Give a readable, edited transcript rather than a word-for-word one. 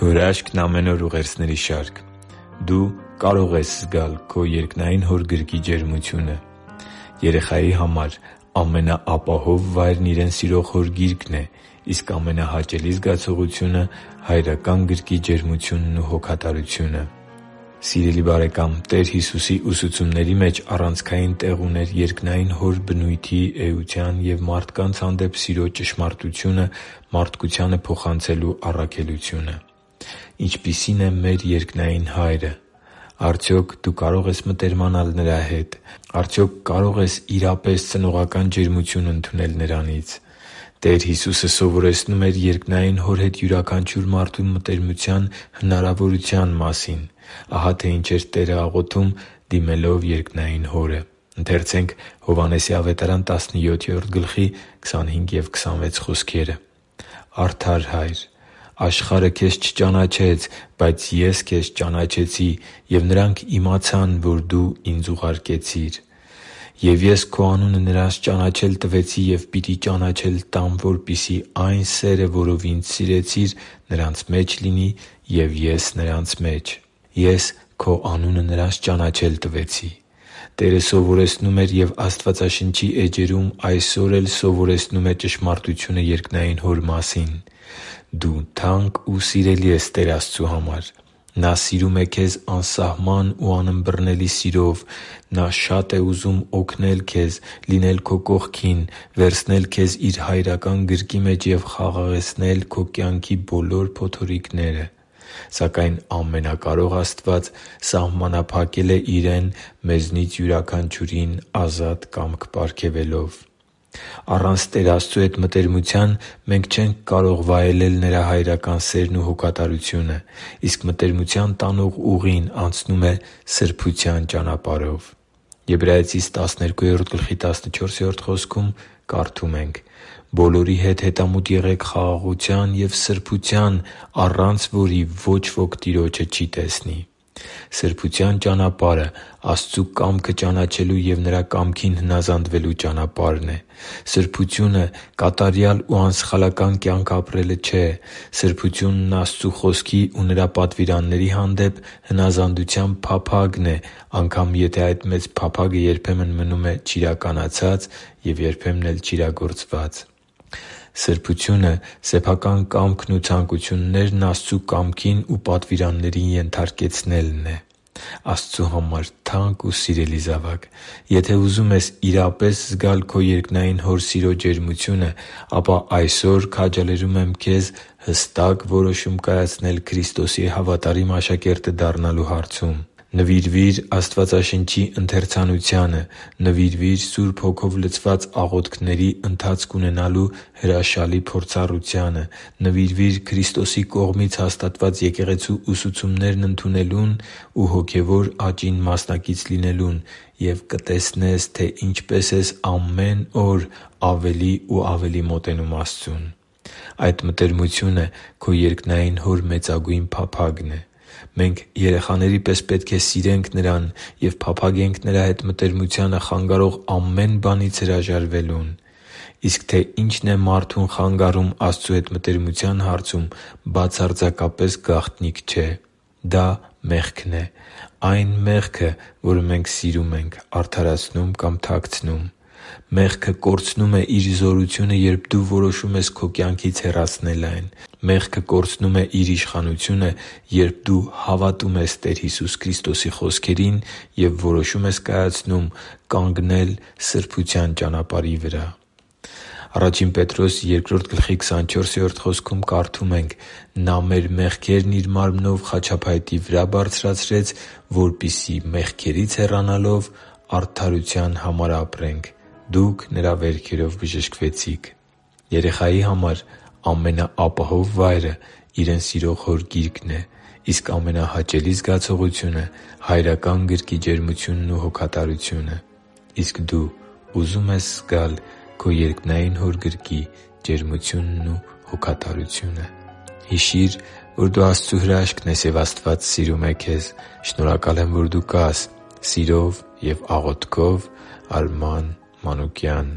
Քո հրաշքն ամեն օր ուղերձների շարք։ Դու կարող ես զգալ քո երկնային Հոր գրկի ջերմությունը։ Երեխայի համար ամենաապահով վայրն իրեն սիրող Հոր գիրկն է, իսկ ամենահաճելի զգացողությունը հայրական գրկի ջերմությունն ու հոգատարությունը։ Սիրելի՛ բարեկամ, Տեր Հիսուսի ուսուցումների մեջ առանցքային տեղ ուներ երկնային Հոր բնույթի, էության և մարդկանց հանդեպ սիրո ճշմարտությունը մարդկությանը փոխանցելու առաքելությունը։ Ինչպիսի՞ն է մեր երկնային Հայրը։ Արդյոք դու կարո՞ղ ես մտերմանալ Նրա հետ։ Արդյոք կարո՞ղ ես իրապես ծնողական ջերմություն ընդունել Նրանից։ Տեր Հիսուսը սովորեցնում էր երկնային Հոր հետ յուրաքանչյուր մարդու մտերմության հնարավորության մասին։ Ահա թե ինչ էր Տերը աղոթում՝ դիմելով երկնային Հորը։ «Արդար Հա՛յր, աշխարհը քեզ չճանաչեց, բայց Ես քեզ ճանաչեցի, և նրանք իմացան, որ Դու ինձ ուղարկեցիր։ Եվ Ես Քո անունը նրանց ճանաչել տվեցի և պիտի ճանաչել տամ, որպեսզի այն սերը, որով ինձ սիրեցիր, նրանց մեջ լինի, և Ես նրանց մեջ։ Ես Քո անունը նրանց ճանաչել տվեցի»։ Տերը սովորեցնում էր և Աստվածաշնչի էջերում այսօր էլ սովորեցնում է ճշմարտությունը երկնային Հոր մասին։ Դու թանկ ու սիրելի ես Տեր Աստծու համար։ Նա սիրում է քեզ անսահման ու անըմբռնելի սիրով։ Նա շատ է ուզում օգնել քեզ, լինել քո կողքին, վերցնել քեզ Իր հայրական գրկի մեջ և խաղաղեցնել քո կյանքի բոլոր փոթորիկները։ Սակայն Ամենակարող Աստված սահմանափակել է Իրեն մեզնից յուրաքանչյուրին ազատ կամք պարգևելով։ Առանց Տեր Աստծու հետ մտերմության մենք չենք կարող վայելել Նրա հայրական սերն ու հոգատարությունը, իսկ մտերմության տանող ուղին անցնում է սրբության ճանապարհով։ Եբրայեցիս 12:14 խոսքում կարդում ենք. «Բոլորի հետ հետամուտ եղեք խաղաղության և սրբության, առանց որի ոչ ոք Տիրոջը չի տեսնի»։ Սրբության ճանապարհը Աստծու կամքը ճանաչելու և Նրա կամքին հնազանդվելու ճանապարհն է։ Սրբությունը կատարյալ ու անսխալական կյանք ապրելը չէ։ Սրբությունն Աստծու Խոսքի ու Նրա պատվիրանների հանդեպ հնազանդության փափագն է, անգամ եթե այդ մեծ փափագը երբեմն մնում է չիրականացած և երբեմն էլ չիրագործված։ Սրբությունը սեփական կամքն ու ցանկություններն Աստծու կամքին ու պատվիրաններին ենթարկեցնելն է։ Աստծու համար թանկ ու սիրելի՛ զավակ, եթե ուզում ես իրապես զգալ քո երկնային Հոր սիրո ջերմությունը, ապա այսօր քաջալերում եմ քեզ հստակ որոշում կայացնել Քրիստոսի հավատարիմ աշակերտը դառնալու հարցում։ Նվիրվի՛ր Աստվածաշնչի ընթերցանությանը։ Նվիրվի՛ր Սուրբ Հոգով լցված աղոթքների ընթացք ունենալու հրաշալի փորձառությանը։ Նվիրվի՛ր Քրիստոսի կողմից հաստատված եկեղեցու ուսուցումներն ընդունելուն ու հոգևոր աճին մասնակից լինելուն և կտեսնես, թե ինչպես ես ամեն օր ավելի ու ավելի մոտենում Աստծուն։ Այդ մտերմությունը քո երկնային Հոր մեծագույն փափագն է։ Մենք երեխաների պես պետք է սիրենք Նրան և փափագենք Նրա հետ մտերմությանը խանգարող ամեն բանից հրաժարվելուն։ Իսկ թե ինչն է մարդուն խանգարում Աստծու հետ մտերմության հարցում, բացարձակապես գաղտնիք չէ։ Դա մեղքն է։ Այն մեղքը, որը մենք սիրում ենք, արդարացնում կամ թաքցնում։ Մեղքը կորցնում է իր զորությունը, երբ դու որոշում ես քո կյանքից հեռացնել այն։ Մեղքը կորցնում է իր իշխանությունը, երբ դու հավատում ես Տեր Հիսուս Քրիստոսի խոսքերին և որոշում ես կայացնում կանգնել սրբության ճանապարհի վրա։ 1 Պետրոս 2:24 խոսքում կարդում ենք. «Նա մեր մեղքերն Իր մարմնով խաչափայտի վրա բարձրացրեց, որպեսզի մեղքերից հեռանալով արդարության համար ապրենք. դուք Նրա վերքերով բժշկվեցիք»։ Երեխայի համար ամենաապահով վայրը իրեն սիրող Հոր գիրկն է, իսկ ամենահաճելի զգացողությունը հայրական գրկի ջերմությունն ու հոգատարությունը։ Իսկ դու ուզո՞ւմ ես զգալ քո երկնային Հոր գրկի ջերմությունն ու հոգատարությունը։ Հիշի՛ր, որ դու Աստծո հրաշքն ես, և Աստված սիրում է քեզ։ Շնորհակալ եմ, որ դու կա՛ս։ Սիրով և աղոթքով, Արման Մանուկյան։